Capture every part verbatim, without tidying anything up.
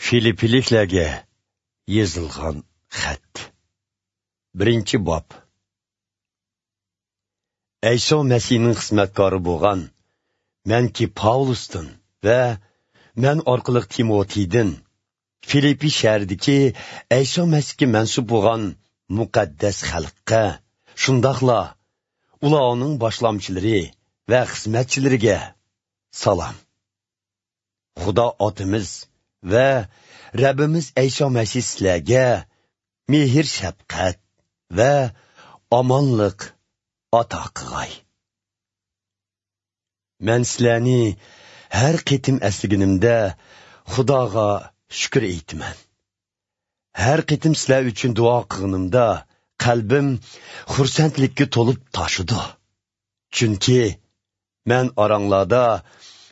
فىلىپپىلىكلەرگە يېزىلغان خەت. بىرىنچى باب. ئەيسا مەسىھنىڭ خىزمەتكارى بولغان مەنكى پاۋلۇستىن ۋە مەن ئارقىلىق تىموتېيدىن، فىلىپپى شەھىرىدىكى ئەيسا مەسىھكە مەنسۇپ بولغان مۇقەددەس خەلققە، شۇنداقلا ئۇلارنىڭ باشلامچىلىرى ۋە خىزمەتچىلىرىگە سالام. خۇدا ئاتىمىز ۋە رەببىمىز ئەيسا مەسىھ سىلەرگە مېھىر-شەپقەت ۋە ئامانلىق ئاتا قىلغاي. مەن سىلەرنى ھەر قېتىم ئەسلىگىنىمدە خۇداغا شۈكۈر ئېيتىمەن. ھەر قېتىم سىلەر ئۈچۈن دۇئا قىلغىنىمدا قەلبىم خۇرسەنلىككە تولۇپ تاشىدۇ. چۈنكى مەن ئاراڭلاردا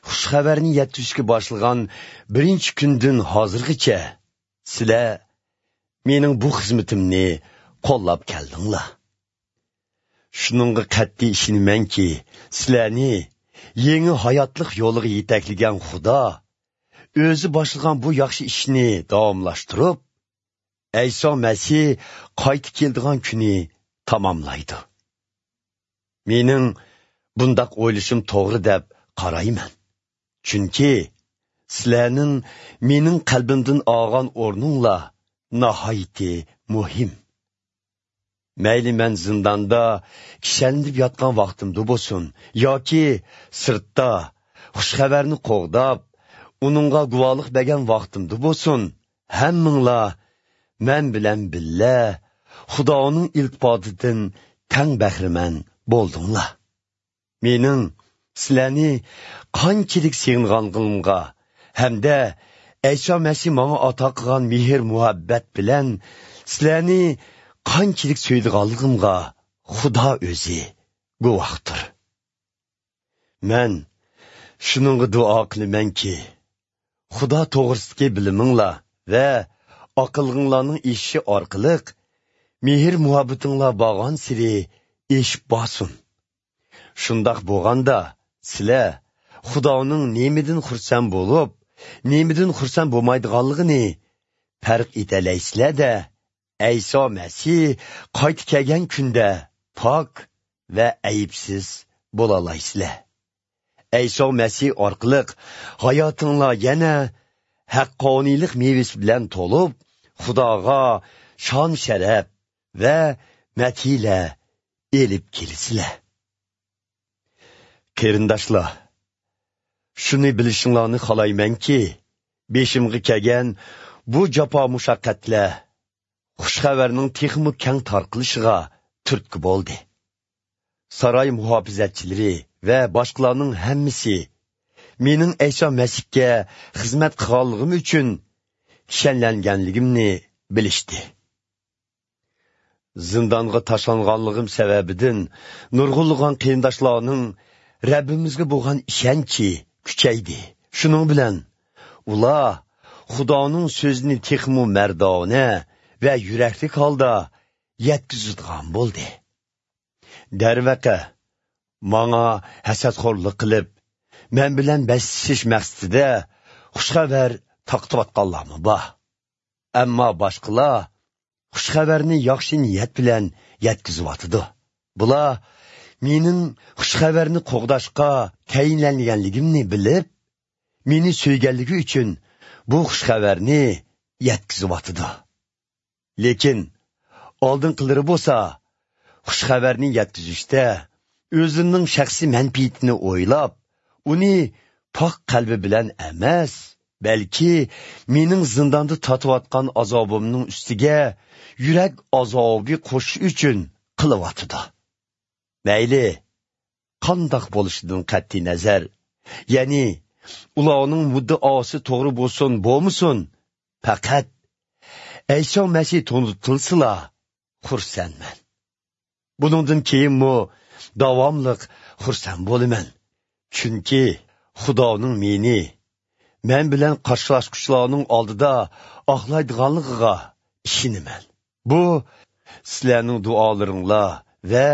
خۇش خەۋەرنى يەتكۈزۈشكە باشلىغان بىرىنچى كۈندىن ھازىرغىچە سىلەر مېنىڭ بۇ خىزمىتىمنى قوللاپ كەلدىڭلار. شۇنىڭغا قەتئىي ئىشىنىمەنكى، سىلەرنى يېڭى ھاياتلىق يولىغا يېتەكلىگەن خۇدا ئۆزى باشلىغان بۇ ياخشى ئىشنى داۋاملاشتۇرۇپ، ئەيسا مەسىھ قايتا كېلىدىغان كۈنى تاماملايدۇ. مېنىڭ بۇنداق ئويلىشىم توغرا دەپ قارايمەن. چۈنكى سىلەرنىڭ مېنىڭ قەلبىمدىن ئالغان ئورنۇڭلار ناھايىتى مۇھىم. مەيلى مەن زىنداندا كىشەنلىنىپ ياتقان ۋاقتىمدا بولسۇن ياكى سىرتتا خۇش خەۋەرنى قوغداپ، ئۇنىڭغا گۇۋاھلىق بەرگەن ۋاقتىمدا بولسۇن، ھەممىڭلار مەن بىلەن بىللە خۇدانىڭ ئىلتىپاتىدىن تەڭ بەھرىمەن بولدۇڭلار. مېنىڭ سىلەرنى قانچىلىك سېغىنغانلىقىمغا ھەمدە ئەيسا مەسىھ ماڭا ئاتا قىلغان مېھىر-مۇھەببەت بىلەن سىلەرنى قانچىلىك سۆيىدىغانلىقىمغا خۇدا ئۆزى گۇۋاھتۇر. مەن شۇنىڭغا دۇئا قىلىمەنكى، خۇدا توغرىسىدىكى بىلىمىڭلار ۋە ئاقىللىقىڭلارنىڭ ئېشىشى ئارقىلىق مېھىر-مۇھەببىتىڭلار بارغانسېرى ئېشىپ بارسۇن. شۇنداق بولغاندا، سىلەر خۇدانىڭ نېمىدىن خۇرسەن بولۇپ، نېمىدىن خۇرسەن بولمايدىغانلىقىنى پەرق ئېتەلەيسىلەر-دە، ئەيسا مەسىھ قايتا كەلگەن كۈندە پاك ۋە ئەيىبسىز بولالايسىلەر. ئەيسا مەسىھ ئارقىلىق ھاياتىڭلار يەنە ھەققانىيلىق مېۋىسى بىلەن تولۇپ، خۇداغا شان-شەرەپ ۋە مەدھىيەلەر ئېلىپ كېلىسىلەر. قېرىنداشلار، شۇنى بىلىشىڭلارنى خالايمەنكى، بېشىمغا كەلگەن بۇ جاپا-مۇشەققەتلەر خۇش خەۋەرنىڭ تېخىمۇ كەڭ تارقىلىشىغا تۈرتكە بولدى. ساراي مۇھاپىزەتچىلىرى ۋە باشقىلارنىڭ ھەممىسى مېنىڭ ئەيسا مەسىھكە خىزمەت قىلغانلىقىم ئۈچۈن كىشەنلەنگەنلىكىمنى بىلىشتى. زىندانغا تاشلانغانلىقىم سەۋەبىدىن نۇرغۇنلىغان قېرىنداشلارنىڭ رەببىمىزگە بولغان ئىشەنچى كۈچەيدى. شۇنىڭ بىلەن ئۇلار خۇدانىڭ سۆزىنى تېخىمۇ مەردانە ۋە يۈرەكلىك ھالدا يەتكۈزىدىغان بولدى. دەرۋەقە، ماڭا ھەسەتخورلۇق قىلىپ، مەن بىلەن بەسلىشىش مەقسىتىدە خۇش خەۋەر تارقىتىۋاتقانلارمۇ بار. ئەمما باشقىلار خۇش خەۋەرنى ياخشى نىيەت بىلەن يەتكۈزۈۋاتىدۇ. بۇلار مېنىڭ خۇش خەۋەرنى قوغداشقا تەيىنلەنگەنلىكىمنى بىلىپ، مېنى سۆيگەنلىكى ئۈچۈن بۇ خۇش خەۋەرنى يەتكۈزۈۋاتىدۇ. لېكىن ئالدىنقىلىرى بولسا خۇش خەۋەرنى يەتكۈزۈشتە ئۆزلىرىنىڭ شەخسىي مەنپەئىتىنى ئويلاپ، ئۇنى پاك قەلبى بىلەن ئەمەس، بەلكى مېنىڭ زىنداندا تارتىۋاتقان ئازابىمنىڭ ئۈستىگە يۈرەك ئازابى قوشۇش ئۈچۈن قىلىۋاتىدۇ. مەيلى قانداق بولۇشىدىن قەتئىينەزەر، يەنى ئۇلارنىڭ مۇددىئاسى توغرا بولسۇن بولمىسۇن، پەقەت ئەيسا مەسىھ تونۇتۇلسىلا خۇرسەنمەن. بۇنىڭدىن كېيىنمۇ داۋاملىق خۇرسەن بولىمەن. چۈنكى خۇدانىڭ مېنى مەن بىلەن قارشىلاشقۇچىلارنىڭ ئالدىدا ئاقلايدىغانلىقىغا ئىشىنىمەن. بۇ سىلەرنىڭ دۇئالىرىڭلار ۋە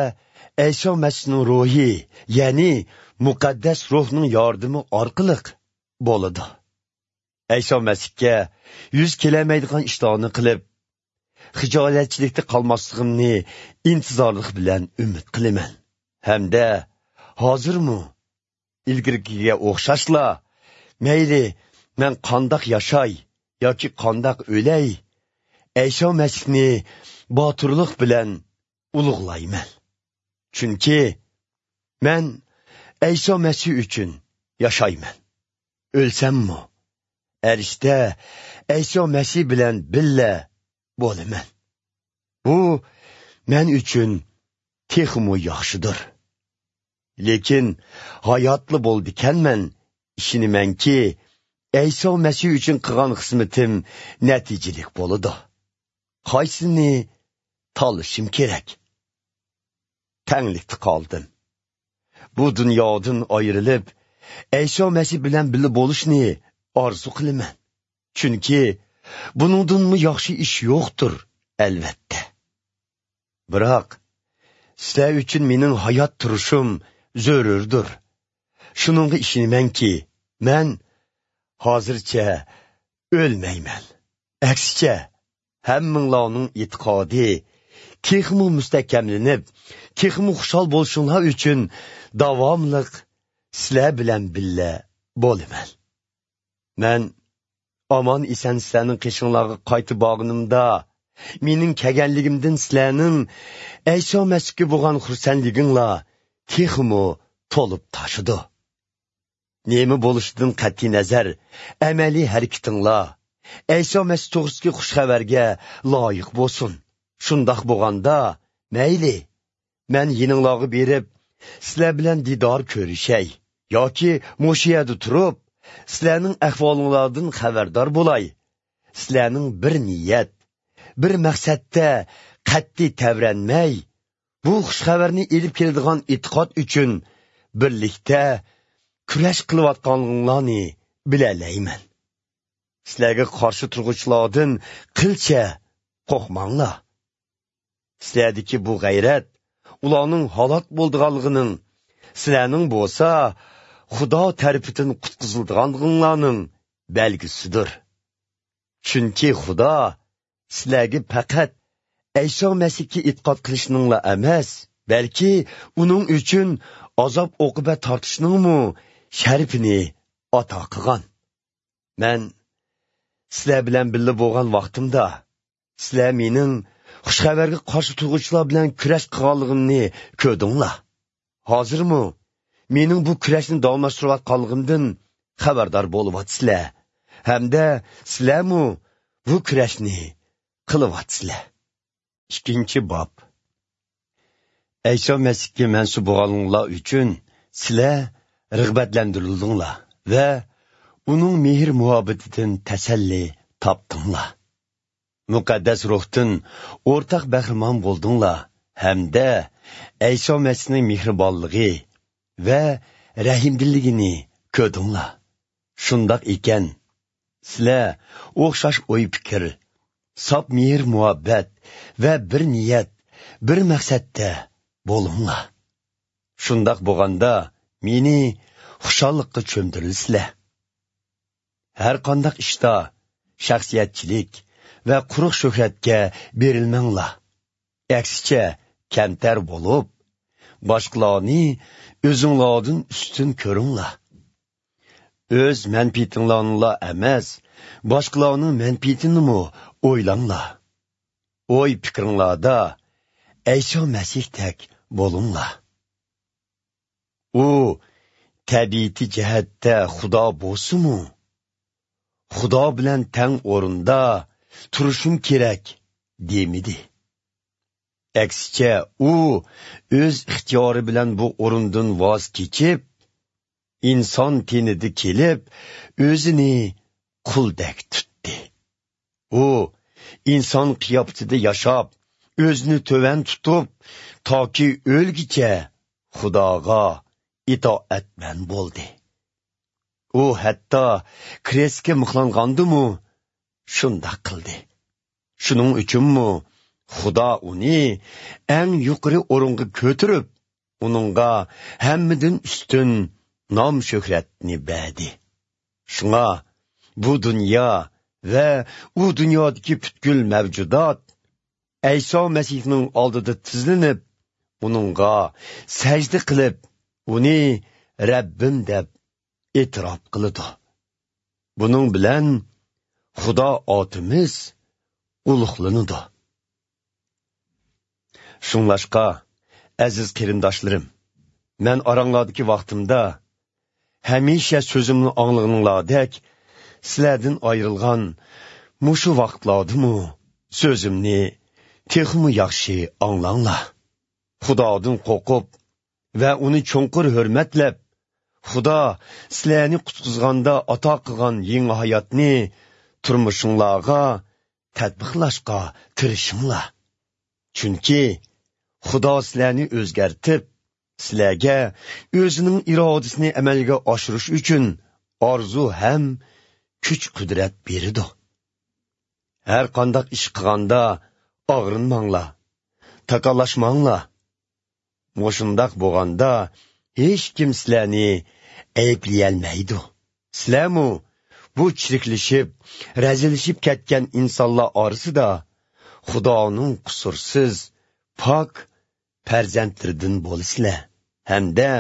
ئەيسا مەسىھنىڭ روھى، يەنى مۇقەددەس روھنىڭ ياردىمى ئارقىلىق بولىدۇ. ئەيسا مەسىھكە يۈز كېلەلمەيدىغان ئىشلارنى قىلىپ، خىجالەتچىلىكتە قالماسلىقىمنى ئىنتىزارلىق بىلەن ئۈمىد قىلىمەن. ھەمدە ھازىرمۇ ئىلگىرىكىگە ئوخشاشلا، مەيلى مەن قانداق ياشاي ياكى قانداق ئۆلەي، ئەيسا مەسىھنى باتۇرلۇق بىلەن ئۇلۇغلايمەن. چۈنكى مەن ئەيسا مەسىھ ئۈچۈن ياشايمەن. ئۆلسەممۇ، ئەرشتە ئەيسا مەسىھ بىلەن بىللە بولىمەن. بۇ مەن ئۈچۈن تېخىمۇ ياخشىدۇر. لېكىن ھاياتلا بولىدىكەنمەن، ئىشىنىمەنكى، ئەيسا مەسىھ ئۈچۈن قىلغان خىزمىتىم نەتىجىلىك بولىدۇ. قايسىنى تاللىشىم كېرەك؟ تەڭلىكتە قالدىم. بۇ دۇنيادىن ئايرىلىپ، ئەيسا مەسىھ بىلەن بىللە بولۇشنى ئارزۇ قىلىمەن. چۈنكى بۇنىڭدىنمۇ ياخشى ئىش يوقتۇر، ئەلۋەتتە. بىراق، سىلەر ئۈچۈن مېنىڭ ھايات تۇرۇشۇم زۆرۈردۇر. شۇنىڭغا ئىشىنىمەنكى، مەن ھازىرچە ئۆلمەيمەن. ئەكسىچە، ھەممىڭلارنىڭ ئېتىقادى تېخىمۇ مۇستەھكەملىنىپ، تېخىمۇ خۇشال بولۇشۇڭلار ئۈچۈن داۋاملىق سىلەر بىلەن بىللە بولىمەن. مەن ئامان-ئېسەن سىلەرنىڭ قېشىڭلارغا قايتىپ بارغىنىمدا، مېنىڭ كەلگەنلىكىمدىن سىلەرنىڭ ئەيسا مەسىھكە بولغان خۇرسەنلىكىڭلار تېخىمۇ تولۇپ تاشىدۇ. نېمە بولۇشىدىن قەتئىينەزەر، ئەمەلىي ھەرىكىتىڭلار ئەيسا مەسىھ توغرىسىدىكى خۇش خەۋەرگە لايىق بولسۇن. شۇنداق بولغاندا، مەيلى، مەن يېنىڭلارغا بېرىپ، سىلەر بىلەن دىدار كۆرۈشەي ياكى مۇشۇ يەردە تۇرۇپ، سىلەرنىڭ ئەھۋالىڭلاردىن خەۋەردار بولاي. سىلەرنىڭ بىر نىيەت، بىر مەقسەتتە قەتئىي تەۋرەنمەي، بۇ خۇش خەۋەرنى ئېلىپ كېلىدىغان ئېتىقاد ئۈچۈن بىرلىكتە كۈرەش قىلىۋاتقانلىقىڭلارنى بىلەلەيمەن. سىلەرگە قارشى تۇرغۇچىلاردىن قىلچە قورقماڭلار. سىلەردىكى بۇ غەيرەت ئۇلارنىڭ ھالاك بولىدىغانلىقىنىڭ، سىلەرنىڭ بولسا خۇدا تەرىپىدىن قۇتقۇزۇلىدىغانلىقىڭلارنىڭ بەلگىسىدۇر. چۈنكى خۇدا سىلەرگە پەقەت ئەيسا مەسىھكە ئېتىقاد قىلىشنىڭلا ئەمەس، بەلكى ئۇنىڭ ئۈچۈن ئازاب-ئوقۇبەت تارتىشنىڭمۇ شەرىپىنى ئاتا قىلغان. مەن سىلەر بىلەن بىللە بولغان ۋاقتىمدا، سىلەر مېنىڭ خۇش خەۋەرگە قارشى تۇرغۇچىلار بىلەن كۈرەش قىلغانلىقىمنى كۆردۈڭلار. ھازىرمۇ مېنىڭ بۇ كۈرەشنى داۋاملاشتۇرۇۋاتقانلىقىمدىن خەۋەردار بولۇۋاتىسىلەر ھەمدە سىلەرمۇ بۇ كۈرەشنى قىلىۋاتىسىلەر. ئىككىنچى باب. ئەيسا مەسىھكە مەنسۇپ بولغانلىقىڭلار ئۈچۈن سىلەر رىغبەتلەندۈرۈلدۈڭلار ۋە ئۇنىڭ مېھىر-مۇھەببىتىدىن تەسەللى تاپتىڭلار. مۇقەددەس روھتىن ئورتاق بەھرىمەن بولدۇڭلار ھەمدە ئەيسا مەسىھنىڭ مېھرىبانلىقى ۋە رەھىمدىللىكىنى كۆردۈڭلار. شۇنداق ئىكەن، سىلەر ئوخشاش ئوي-پىكىر، ساپ مېھىر-مۇھەببەت ۋە بىر نىيەت، بىر مەقسەتتە بولۇڭلار. شۇنداق بولغاندا، مېنى خۇشاللىققا چۆمدۈرىسىلەر. ھەر قانداق ئىشتا شەخسىيەتچىلىك ۋە قۇرۇق شۆھرەتكە بېرىلمەڭلار. ئەكسىچە، كەمتەر بولۇپ، باشقىلارنى ئۆزۈڭلاردىن ئۈستۈن كۆرۈڭلار. ئۆز مەنپىئىتىڭلارنىلا ئەمەس، باشقىلارنىڭ مەنپىئىتىنىمۇ ئويلاڭلار. ئوي-پىكرىڭلاردا ئەيسا مەسىھتەك بولۇڭلار. ئۇ تەبىئىتى جەھەتتە خۇدا بولسىمۇ، خۇدا بىلەن تەڭ ئورۇندا تۇرۇشۇم كېرەك دېمىدى. ئەكسىچە، ئۇ ئۆز ئىختىيارى بىلەن بۇ ئورۇندىن ۋاز كېچىپ، ئىنسان تېنىدە كېلىپ، ئۆزىنى قۇلدەك تۇتتى. ئۇ ئىنسان قىياپىتىدە ياشاپ، ئۆزىنى تۆۋەن تۇتۇپ، تاكى ئۆلگىچە خۇداغا ئىتائەتمەن بولدى. ئۇ ھەتتا كرېستكە مىخلانغاندىمۇ شۇنداق قىلدى. شۇنىڭ ئۈچۈنمۇ خۇدا ئۇنى ئەڭ يۇقىرى ئورۇنغا كۆتۈرۈپ، ئۇنىڭغا ھەممىدىن ئۈستۈن نام-شۆھرەتنى بەردى. شۇڭا بۇ دۇنيا ۋە ئۇ دۇنيادىكى پۈتكۈل مەۋجۇدات ئەيسا مەسىھنىڭ ئالدىدا تىزلىنىپ، ئۇنىڭغا سەجدە قىلىپ، ئۇنى رەببىم دەپ ئېتىراپ قىلىدۇ. بۇنىڭ بىلەن خۇدا ئاتىمىز ئۇلۇغلىنىدۇ. شۇڭلاشقا، ئەزىز قېرىنداشلىرىم، مەن ئاراڭلاردىكى ۋاقتىمدا ھەمىشە سۆزۈمنى ئاڭلىغىنىڭلاردەك، سىلەردىن ئايرىلغان مۇشۇ ۋاقىتلاردىمۇ سۆزۈمنى تېخىمۇ ياخشى ئاڭلاڭلار. خۇدادىن قورقۇپ ۋە ئۇنى چوڭقۇر ھۆرمەتلەپ، خۇدا سىلەرنى قۇتقۇزغاندا ئاتا قىلغان يېڭى ھاياتنى تۇرمۇشۇڭلارغا تەتبىقلاشقا تىرىشىڭلار. چۈنكى خۇدا سىلەرنى ئۆزگەرتىپ، سىلەرگە ئۆزىنىڭ ئىرادىسىنى ئەمەلگە ئاشۇرۇش ئۈچۈن ئارزۇ ھەم كۈچ-قۇدرەت بېرىدۇ. ھەر قانداق ئىش قىلغاندا ئاغرىنماڭلار، تاكاللاشماڭلار. مۇشۇنداق بولغاندا، ھېچكىم سىلەرنى ئەيىبلىيەلمەيدۇ. سىلەرمۇ بۇ چىرىكلىشىپ، رەزىللىشىپ كەتكەن ئىنسانلار ئارىسىدا خۇدانىڭ قۇسۇرسىز، پاك پەرزەنتلىرىدىن بولىسىلەر. ھەمدە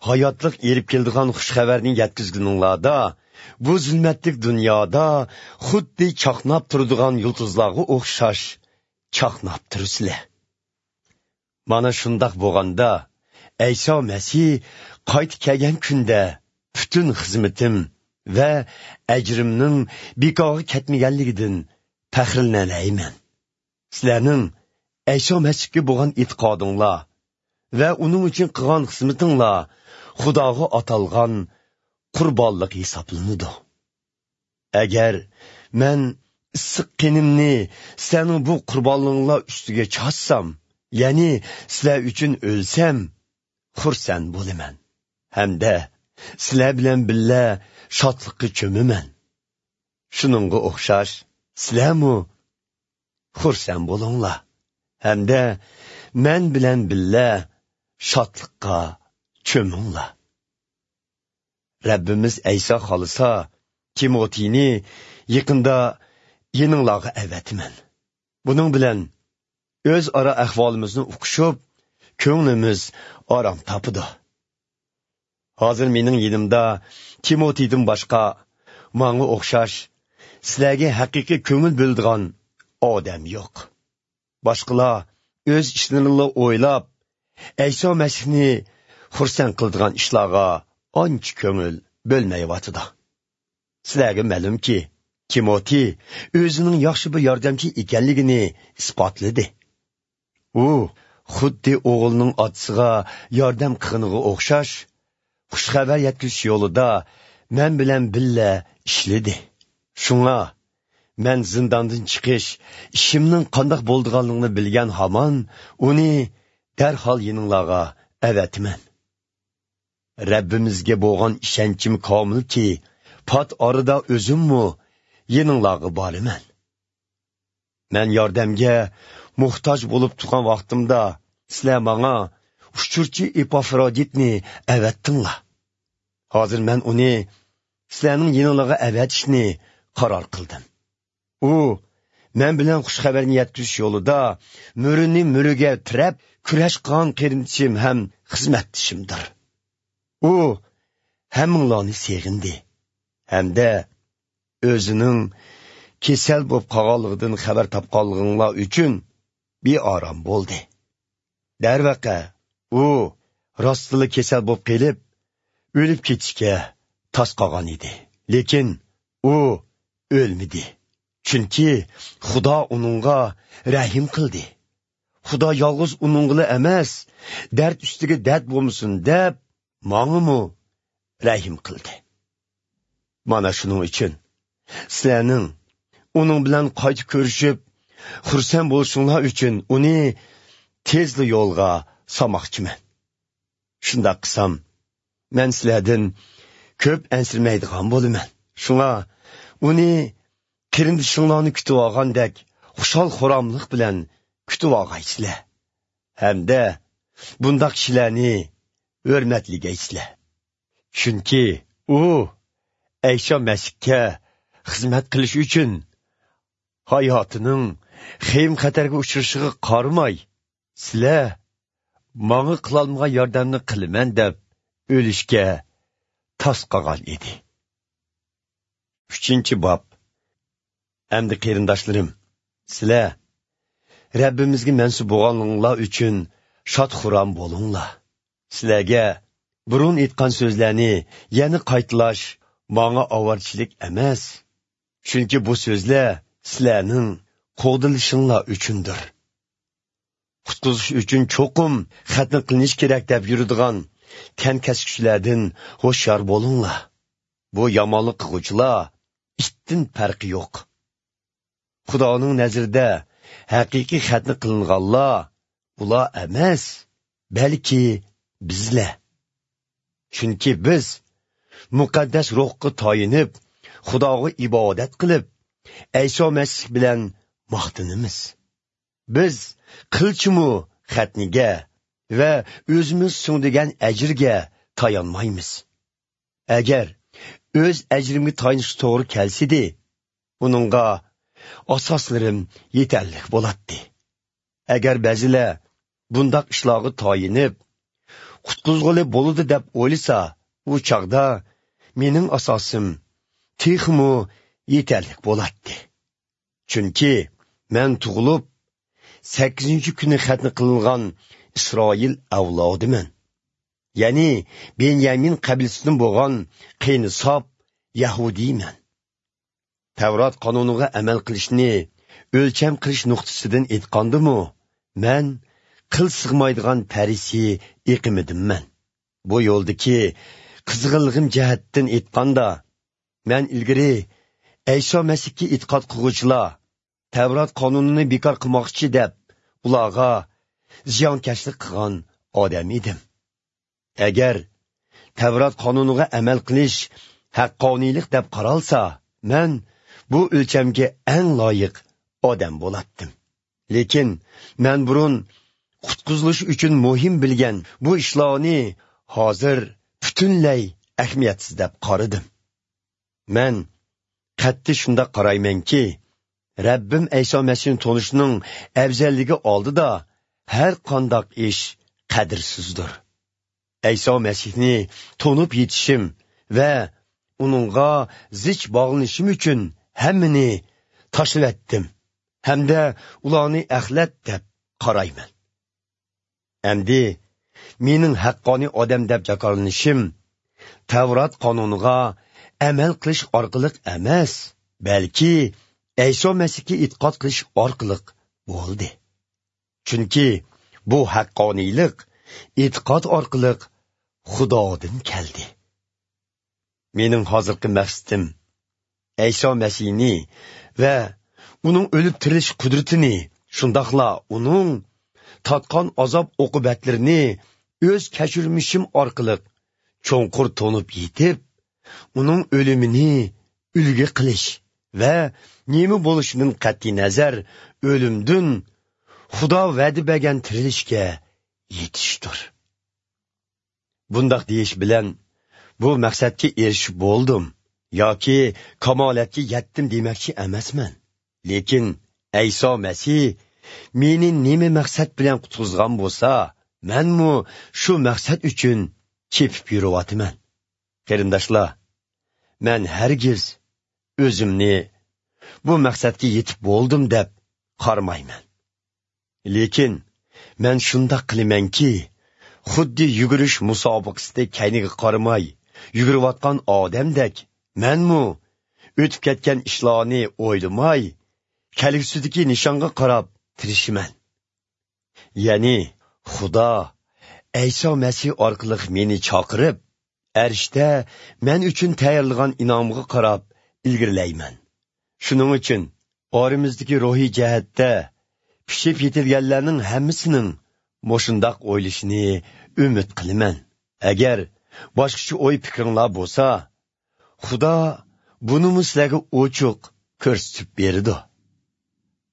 ھاياتلىق ئېلىپ كېلىدىغان خۇش خەۋەرنى يەتكۈزگىنىڭلاردا، بۇ زۇلمەتلىك دۇنيادا خۇددى چاقناپ تۇرىدىغان يۇلتۇزلارغا ئوخشاش چاقناپ تۇرىسىلەر. مانا شۇنداق بولغاندا، ئەيسا مەسىھ قايتا كەلگەن كۈندە پۈتۈن خىزمىتىم ۋە ئەجرىمنىڭ بىكارغا كەتمىگەنلىكىدىن پەخىرلىنەلەيمەن. سىلەرنىڭ ئەيسا مەسىھكە بولغان ئېتىقادىڭلار ۋە ئۇنىڭ ئۈچۈن قىلغان خىزمىتىڭلار خۇداغا ئاتالغان قۇربانلىق ھېسابلىنىدۇ. ئەگەر مەن ئىسسىق قېنىمنى سىلەرنىڭ بۇ قۇربانلىقىڭلار ئۈستىگە چاچسام، يەنى سىلەر ئۈچۈن ئۆلسەم، خۇرسەن بولىمەن ھەمدە سىلەر بىلەن بىللە شادلىققا چۆمىمەن. شۇنىڭغا ئوخشاش سىلەرمۇ خۇرسەن بولۇڭلار ھەمدە مەن بىلەن بىللە شادلىققا چۆمۈڭلار. رەببىمىز ئەيسا خالىسا، تىموتىينى يېقىندا يېنىڭلارغا ئەۋەتىمەن. بۇنىڭ بىلەن ئۆزئارا ئەھۋالىمىزنى ئۇقۇشۇپ، كۆڭلىمىز ئارام تاپىدۇ. ھازىر مېنىڭ يېنىمدا تىموتىيدىن باشقا ماڭا ئوخشاش سىلەرگە ھەقىقىي كۆڭۈل بۆلىدىغان ئادەم يوق. باشقىلار ئۆز ئىشلىرىنىلا ئويلاپ، ئەيسا مەسىھنى خۇرسەن قىلىدىغان ئىشلارغا ئانچە كۆڭۈل بۆلمەيۋاتىدۇ. سىلەرگە مەلۇمكى، تىموتىي ئۆزىنىڭ ياخشى بىر ياردەمچى ئىكەنلىكىنى ئىسپاتلىدى. ئۇ خۇددى ئوغلىنىڭ ئاتىسىغا ياردەم قىلغىنىغا ئوخشاش، خۇش خەۋەر يەتكۈزۈش يولىدا مەن بىلەن بىللە ئىشلىدى. شۇڭا مەن زىنداندىن چىقىش ئىشىمنىڭ قانداق بولىدىغانلىقىنى بىلگەن ھامان ئۇنى دەرھال يېنىڭلارغا ئەۋەتىمەن. رەببىمىزگە بولغان ئىشەنچىم كامىلكى، پات ئارىدا ئۆزۈممۇ يېنىڭلارغا بارىمەن. مەن ياردەمگە موھتاج بولۇپ تۇرغان ۋاقتىمدا، سىلەر ماڭا ئۇچۇرچى ئېپافرودىتنى ئەۋەتتىڭلار. ھازىر مەن ئۇنى سىلەرنىڭ يېنىڭلارغا ئەۋەتىشنى قارار قىلدىم. ئۇ مەن بىلەن خۇش خەۋەرنى يەتكۈزۈش يولىدا مۈرىنى مۈرىگە تىرەپ كۈرەش قىلغان قېرىندىشىم ھەم خىزمەتدىشىمدۇر. ئۇ ھەممىڭلارنى سېغىندى ھەمدە ئۆزىنىڭ كېسەل بولۇپ قالغانلىقىدىن خەۋەر تاپقانلىقىڭلار ئۈچۈن بىئارام بولدى. دەرۋەقە، ئۇ راستلا كېسەل بولۇپ قېلىپ، ئۆلۈپ كېتىشكە تاس قالغان ئىدى. لېكىن ئۇ ئۆلمىدى. چۈنكى خۇدا ئۇنىڭغا رەھىم قىلدى. خۇدا يالغۇز ئۇنىڭغىلا ئەمەس، دەرد ئۈستىگە دەرد بولمىسۇن دەپ، ماڭىمۇ رەھىم قىلدى. مانا شۇنىڭ ئۈچۈن سىلەرنىڭ ئۇنىڭ بىلەن قايتا كۆرۈشۈپ، خۇرسەن بولۇشۇڭلار ئۈچۈن ئۇنى تېزلا يولغا سالماقچىمەن. شۇنداق قىلسام، مەن سىلەردىن كۆپ ئەنسىرىمەيدىغان بولىمەن. شۇڭا ئۇنى قېرىندىشىڭلارنى كۈتۈۋالغاندەك خۇشال-خۇراملىق بىلەن كۈتۈۋالغايسىلەر ھەمدە بۇنداق كىشىلەرنى ھۆرمەتلىگەيسىلەر. چۈنكى ئۇ ئەيسا مەسىھكە خىزمەت قىلىش ئۈچۈن ھاياتىنىڭ خېيىم-خەتەرگە ئۇچرىشىغا قارىماي، سىلەر ماڭا قىلالمىغان ياردەمنى قىلىمەن دەپ ئۆلۈشكە تاس قالغان ئىدى. ئۈچىنچى باب. ئەمدى قېرىنداشلىرىم، سىلەر رەببىمىزگە مەنسۇپ بولغانلىقىڭلار ئۈچۈن شاد-خۇرام بولۇڭلار. سىلەرگە بۇرۇن ئېيتقان سۆزلەرنى يەنە قايتىلاش ماڭا ئاۋارىچىلىك ئەمەس. چۈنكى بۇ سۆزلەر سىلەرنىڭ قوغدىلىشىڭلار ئۈچۈندۇر. قۇتقۇزۇش ئۈچۈن چوقۇم خەتنە قىلىنىش كېرەك دەپ يۈرىدىغان تەنكەسكۈچىلەردىن ھوشيار بولۇڭلار. بۇ يامانلىق قىلغۇچىلار ئىتتىن پەرقى يوق. خۇدانىڭ نەزىرىدە ھەقىقىي خەتنە قىلىنغانلار ئۇلار ئەمەس، بەلكى بىزلەر. چۈنكى بىز مۇقەددەس روھقا تايىنىپ، خۇداغا ئىبادەت قىلىپ، ئەيسا مەسىھ بىلەن ماختىنىمىز. بىز قىلچىمۇ خەتنىگە ۋە ئۆزىمىز سىڭدۈرگەن ئەجىرگە تايانمايمىز. ئەگەر ئۆز ئەجرىمگە تايىنىشقا توغرا كەلسىدى، ئۇنىڭغا ئاساسلىرىم يېتەرلىك بولاتتى. ئەگەر بەزىلەر بۇنداق ئىشلارغا تايىنىپ، قۇتقۇزغىلى بولىدۇ دەپ ئويلىسا، ئۇ چاغدا مېنىڭ ئاساسىم تېخىمۇ يېتەرلىك بولاتتى. چۈنكى مەن تۇغۇلۇپ، سەككىزىنچى كۈنى خەتنە قىلىنغان ئىسرائىل ئەۋلادىمەن. يەنى بېنيامىن قەبىلىسىدىن بولغان قېنى ساپ يەھۇدىيمەن. تەۋرات قانۇنىغا ئەمەل قىلىشنى ئۆلچەم قىلىش نۇقتىسىدىن ئېيتقاندىمۇ، مەن قىل سىغمايدىغان پەرىسىي ئېقىمىدىنمەن. بۇ يولدىكى قىزغىنلىقىم جەھەتتىن ئېيتقاندا، مەن ئىلگىرى ئەيسا مەسىھكە ئېتىقاد قىلغۇچىلار تەۋرات قانۇنىنى بىكار قىلماقچى دەپ، ئۇلارغا زىيانكەشلىك قىلغان ئادەم ئىدىم. ئەگەر تەۋرات قانۇنىغا ئەمەل قىلىش ھەققانىيلىق دەپ قارالسا، مەن بۇ ئۆلچەمگە ئەڭ لايىق ئادەم بولاتتىم. لېكىن مەن بۇرۇن قۇتقۇزۇلۇش ئۈچۈن مۇھىم بىلگەن بۇ ئىشلارنى ھازىر پۈتۈنلەي ئەھمىيەتسىز دەپ قارىدىم. مەن قەتئىي شۇنداق قارايمەنكى، رەببىم ئەيسا مەسىھنى تونۇشنىڭ ئەۋزەللىكى ئالدىدا ھەر قانداق ئىش قەدىرسىزدۇر. ئەيسا مەسىھنى تونۇپ يېتىشىم ۋە ئۇنىڭغا زىچ باغلىنىشىم ئۈچۈن ھەممىنى تاشلىۋەتتىم ھەمدە ئۇلارنى ئەخلەت دەپ قارايمەن. ئەمدى مېنىڭ ھەققانىي ئادەم دەپ جاكارلىنىشىم تەۋرات قانۇنىغا ئەمەل قىلىش ئارقىلىق ئەمەس، بەلكى ئەيسا مەسىھكە ئېتىقاد قىلىش ئارقىلىق بولدى. چۈنكى بۇ ھەققانىيلىق ئېتىقاد ئارقىلىق خۇدادىن كەلدى. مېنىڭ ھازىرقى مەقسىتىم ئەيسا مەسىھنى ۋە ئۇنىڭ ئۆلۈپ تىرىلىش قۇدرىتىنى، شۇنداقلا ئۇنىڭ تارتقان ئازاب ئوقۇبەتلىرىنى ئۆز كەچۈرمىشىم ئارقىلىق چوڭقۇر تونۇپ يېتىپ، ئۇنىڭ ئۆلۈمىنى ئۈلگە قىلىش ۋە نېمە بولۇشىدىن قەتئىينەزەر، ئۆلۈمدىن خۇدا ۋەدە بەرگەن تىرىلىشكە يېتىشتۇر. بۇنداق دېيىش بىلەن بۇ مەقسەتكە ئېرىشىپ بولدۇم ياكى كامالەتكە يەتتىم دېمەكچى ئەمەسمەن. لېكىن ئەيسا مەسىھ مېنى نېمە مەقسەت بىلەن قۇتقۇزغان بولسا، مەنمۇ شۇ مەقسەت ئۈچۈن چېپىپ يۈرۈۋاتىمەن. قېرىنداشلار، مەن ھەرگىز ئۆزۈمنى بۇ مەقسەتكە يېتىپ بولدۇم دەپ قارىمايمەن. لېكىن مەن شۇنداق قىلىمەنكى، خۇددى يۈگۈرۈش مۇسابىقىسىدە كەينىگە قارىماي يۈگۈرۈۋاتقان ئادەمدەك، مەنمۇ ئۆتۈپ كەتكەن ئىشلارنى ئويلىماي، كەلگۈسىدىكى نىشانغا قاراپ تىرىشىمەن. يەنى خۇدا ئەيسا مەسىھ ئارقىلىق مېنى چاقىرىپ، ئەرشتە مەن ئۈچۈن تەييارلىغان ئىنئامغا قاراپ ئىلگىرىلەيمەن. شۇنىڭ ئۈچۈن ئارىمىزدىكى روھىي جەھەتتە پىشىپ يېتىلگەنلەرنىڭ ھەممىسىنىڭ مۇشۇنداق ئويلىشىنى ئۈمىد قىلىمەن. ئەگەر باشقىچە ئوي پىكرىڭلار بولسا، خۇدا بۇنىمۇ سىلەرگە ئوچۇق كۆرسىتىپ بېرىدۇ.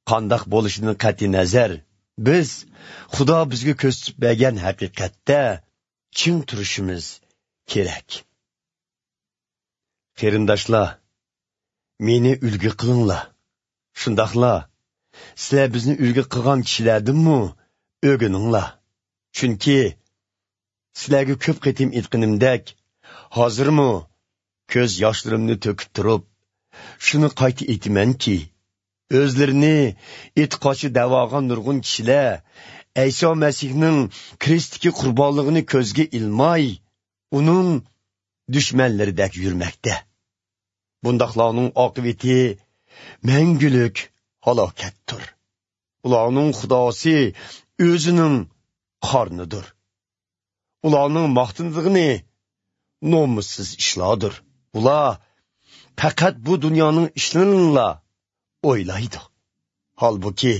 قانداق بولۇشىدىن قەتئىينەزەر، بىز خۇدا بىزگە كۆرسىتىپ بەرگەن ھەقىقەتتە چىڭ تۇرۇشىمىز كېرەك. قېرىنداشلار، مېنى ئۈلگە قىلىڭلار. شۇنداقلا سىلەر بىزنى ئۈلگە قىلغان كىشىلەردىنمۇ ئۆگىنىڭلار. چۈنكى سىلەرگە كۆپ قېتىم ئېيتقىنىمدەك، ھازىرمۇ كۆز ياشلىرىمنى تۆكۈپ تۇرۇپ، شۇنى قايتا ئېيتىمەنكى، ئۆزلىرىنى ئېتىقادچى دەۋالغان نۇرغۇن كىشىلەر ئەيسا مەسىھنىڭ كرېستتىكى قۇربانلىقىنى كۆزگە ئىلماي، ئۇنىڭ دۈشمەنلىرىدەك يۈرمەكتە. بۇنداقلارنىڭ ئاقىۋىتى مەڭگۈلۈك ھالاكەتتۇر. ئۇلارنىڭ خۇداسى ئۆزىنىڭ قارنىدۇر. ئۇلارنىڭ ماختىنىدىغىنى نومۇسسىز ئىشلاردۇر. ئۇلار پەقەت بۇ دۇنيانىڭ ئىشلىرىنىلا ئويلايدۇ. ھالبۇكى،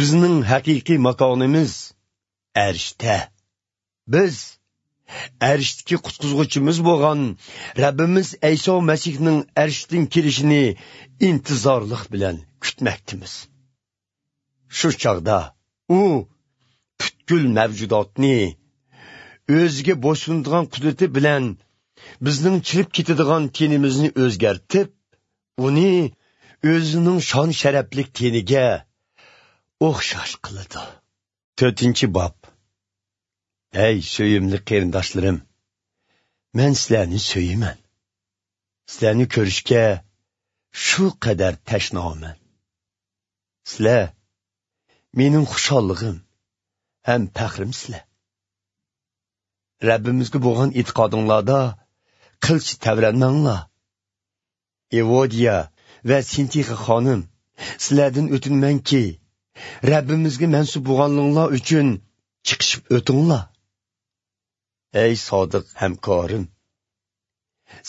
بىزنىڭ ھەقىقىي ماكانىمىز ئەرشتە. بىز ئەرشتىكى قۇتقۇزغۇچىمىز بولغان رەببىمىز ئەيسا مەسىھنىڭ ئەرشتىن كېلىشىنى ئىنتىزارلىق بىلەن كۈتمەكتىمىز. شۇ چاغدا ئۇ پۈتكۈل مەۋجۇداتنى ئۆزىگە بويسۇنىدىغان قۇدرىتى بىلەن بىزنىڭ چىرىپ كېتىدىغان تېنىمىزنى ئۆزگەرتىپ، ئۇنى ئۆزىنىڭ شان-شەرەپلىك تېنىگە ئوخشاش قىلىدۇ. تۆتىنچى باب. ئەي سۆيۈملۈك قېرىنداشلىرىم، مەن سىلەرنى سۆيىمەن. سىلەرنى كۆرۈشكە شۇ قەدەر تەشنامەن. سىلەر مېنىڭ خۇشاللىقىم ھەم پەخرىمسىلەر. رەببىمىزگە بولغان ئېتىقادىڭلاردا قىلچە تەۋرەنمەڭلار. ئېۋودىيە ۋە سىنتىخە خانىم، سىلەردىن ئۆتۈنىمەنكى، رەببىمىزگە مەنسۇپ بولغانلىقىڭلار ئۈچۈن چىقىشىپ ئۆتۈڭلار. ئەي سادىق ھەمكارىم،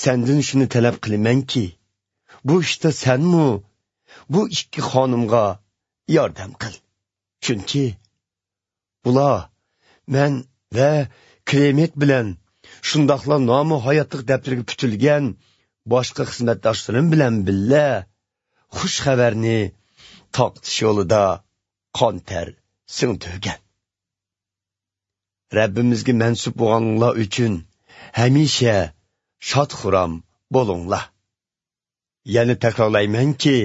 سەندىن شۇنى تەلەپ قىلىمەنكى، بۇ ئىشتا سەنمۇ بۇ ئىككى خانىمغا ياردەم قىل. چۈنكى ئۇلار مەن ۋە كلېمېنت بىلەن، شۇنداقلا نامى ھاياتلىق دەپتىرىگە پۈتۈلگەن باشقا خىزمەتداشلىرىم بىلەن بىللە خۇش خەۋەرنى تارقىتىش يولىدا قان تەر سىڭدۈرگەن. رەببىمىزگە مەنسۇپ بولغانلار ئۈچۈن ھەمىشە شاد-خۇرام بولۇڭلار. يەنە تەكرارلايمەنكى،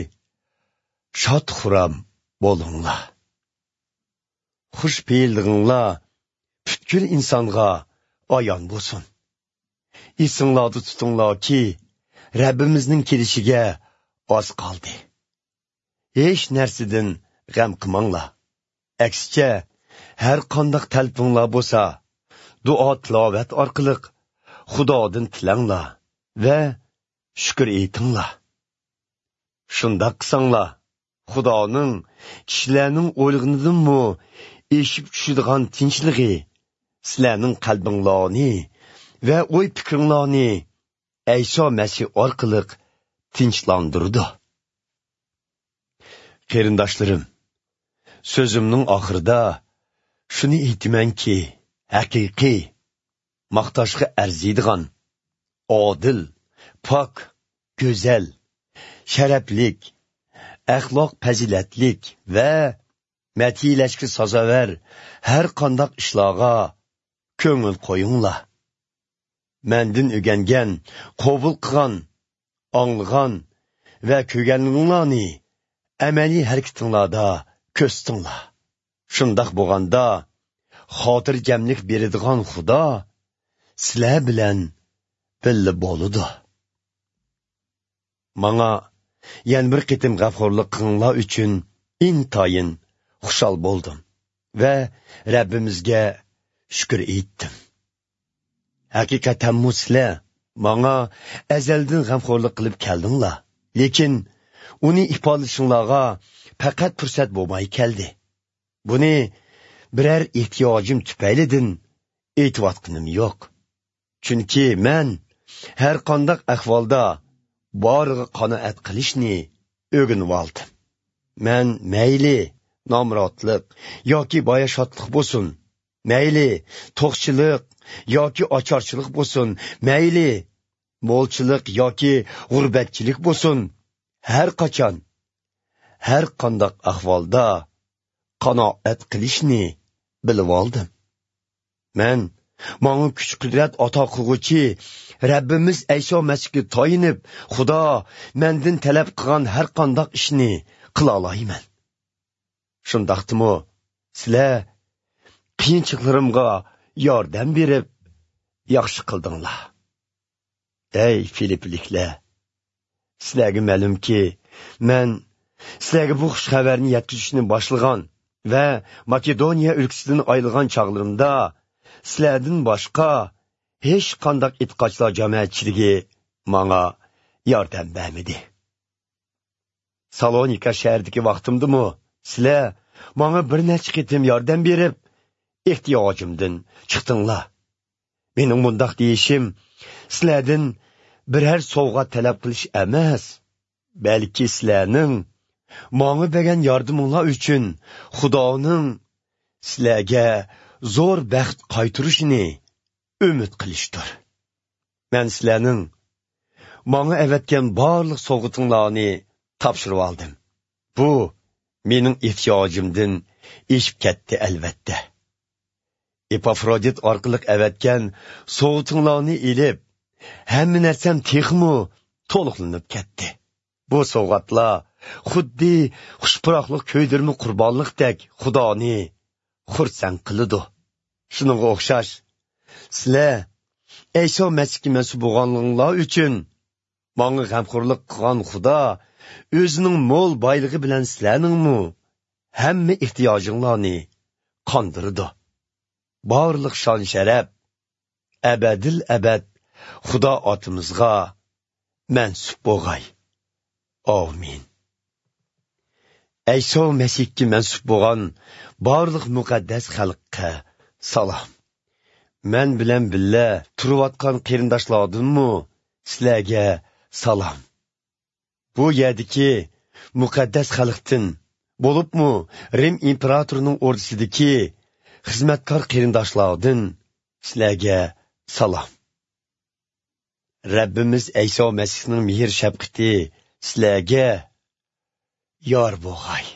شاد-خۇرام بولۇڭلار. خۇش پېئىللىقىڭلار پۈتكۈل ئىنسانغا ئايان بولسۇن. ئېسىڭلاردا تۇتۇڭلاركى، رەببىمىزنىڭ كېلىشىگە ئاز قالدى. ھېچ نەرسىدىن غەم قىلماڭلار. ئەكسىچە، ھەر قانداق تەلىپىڭلار بولسا، دۇئا-تىلاۋەت ئارقىلىق خۇدادىن تىلەڭلار ۋە شۈكۈر ئېيتىڭلار. شۇنداق قىلساڭلار، خۇدانىڭ كىشىلەرنىڭ ئويلىغىنىدىنمۇ ئېشىپ چۈشىدىغان تىنچلىقى سىلەرنىڭ قەلبىڭلارنى ۋە ئوي-پىكرىڭلارنى ئەيسا مەسىھ ئارقىلىق تىنچلاندۇرىدۇ. قېرىنداشلىرىم، سۆزۈمنىڭ ئاخىرىدا شۇنى ئېيتىمەنكى، ھەقىقىي، ماختاشقا ئەرزىيدىغان، ئادىل، پاك، گۈزەل، شەرەپلىك، ئەخلاق پەزىلەتلىك ۋە مەدھىيلەشكە سازاۋەر ھەر قانداق ئىشلارغا كۆڭۈل قويۇڭلار. مەندىن ئۆگەنگەن، قوبۇل قىلغان، ئاڭلىغان ۋە كۆرگەنلىرىڭلارنى ئەمەلىي ھەرىكىتىڭلاردا كۆرسىتىڭلار. شۇنداق بولغاندا، خاتىرجەملىك بېرىدىغان خۇدا سىلەر بىلەن بىللە بولىدۇ. ماڭا يەنە بىر قېتىم غەمخورلۇق قىلغىنىڭلار ئۈچۈن ئىنتايىن خۇشال بولدۇم ۋە رەببىمىزگە شۈكۈر ئېيتتىم. ھەقىقەتەنمۇ سىلەر ماڭا ئەزەلدىن غەمخورلۇق قىلىپ كەلدىڭلار، لېكىن ئۇنى ئىپادىلىشىڭلارغا پەقەت پۇرسەت بولماي كەلدى. بۇنى بىرەر ئېھتىياجىم تۈپەيلىدىن ئېيتىۋاتقىنىم يوق. چۈنكى مەن ھەر قانداق ئەھۋالدا بارىغا قانائەت قىلىشنى ئۆگىنىۋالدىم. مەن مەيلى نامراتلىق ياكى باياشاتلىق بولسۇن، مەيلى توقچىلىق ياكى ئاچارچىلىق بولسۇن، مەيلى مولچىلىق ياكى غۇربەتچىلىك بولسۇن، ھەر قاچان، ھەر قانداق ئەھۋالدا قانائەت قىلىشنى بىلىۋالدىم. مەن ماڭا كۈچ-قۇدرەت ئاتا قىلغۇچى رەببىمىز ئەيسا مەسىھكە تايىنىپ، خۇدا مەندىن تەلەپ قىلغان ھەر قانداق ئىشنى قىلالايمەن. شۇنداقتىمۇ سىلەر قىيىنچىلىقلىرىمغا ياردەم بېرىپ، ياخشى قىلدىڭلار. ئەي فىلىپپىلىكلەر! سىلەرگە مەلۇمكى، مەن سىلەرگە بۇ خۇش خەۋەرنى يەتكۈزۈشنى باشلىغان ۋە ماكېدونىيە ئۆلكىسىدىن ئايرىلغان چاغلىرىمدا، سىلەردىن باشقا ھېچقانداق ئېتىقادچىلار جامائەتچىلىكى ماڭا ياردەم بەرمىدى. سالونىكا شەھىرىدىكى ۋاقتىمدىمۇ سىلەر ماڭا بىر نەچچە قېتىم ياردەم بېرىپ، ئېھتىياجىمدىن چىقتىڭلار. مېنىڭ مۇنداق دېيىشىم سىلەردىن بىرەر سوۋغا تەلەپ قىلىش ئەمەس، بەلكى سىلەرنىڭ ماڭا بەرگەن ياردىمىڭلار ئۈچۈن خۇدانىڭ سىلەرگە زور بەخت قايتۇرۇشىنى ئۈمىد قىلىشتۇر. مەن سىلەرنىڭ ماڭا ئەۋەتكەن بارلىق سوۋغىتىڭلارنى تاپشۇرۇۋالدىم. بۇ مېنىڭ ئېھتىياجىمدىن ئېشىپ كەتتى، ئەلۋەتتە. ئېپافرودىت ئارقىلىق ئەۋەتكەن سوۋغىتىڭلارنى ئېلىپ، ھەممە نەرسەم تېخىمۇ تولۇقلىنىپ كەتتى. بۇ سوۋغاتلار خۇددى خۇش پۇراقلىق كۆيدۈرمە قۇربانلىقتەك خۇدانى خۇرسەن قىلىدۇ. شۇنىڭغا ئوخشاش، سىلەر ئەيسا مەسىھكە مەنسۇپ بولغانلىقىڭلار ئۈچۈن ماڭا غەمخورلۇق قىلغان خۇدا ئۆزىنىڭ مول بايلىقى بىلەن سىلەرنىڭمۇ ھەممە ئېھتىياجىڭلارنى قاندۇرىدۇ. بارلىق شان-شەرەپ ئەبەدىل ئەبەد خۇدا ئاتىمىزغا مەنسۇپ بولغاي. ئامىن. ئەيسا مەسىھكە مەنسۇپ بولغان بارلىق مۇقەددەس خەلققە سالام. مەن بىلەن بىللە تۇرۇۋاتقان قېرىنداشلاردىنمۇ سىلەرگە سالام. بۇ يەردىكى مۇقەددەس خەلقتىن، بولۇپمۇ رىم ئىمپېراتورىنىڭ ئوردىسىدىكى خىزمەتكار قېرىنداشلاردىن سىلەرگە سالام. رەببىمىز ئەيسا مەسىھنىڭ مېھىر-شەپقىتى سىلەرگە يار بولغاي.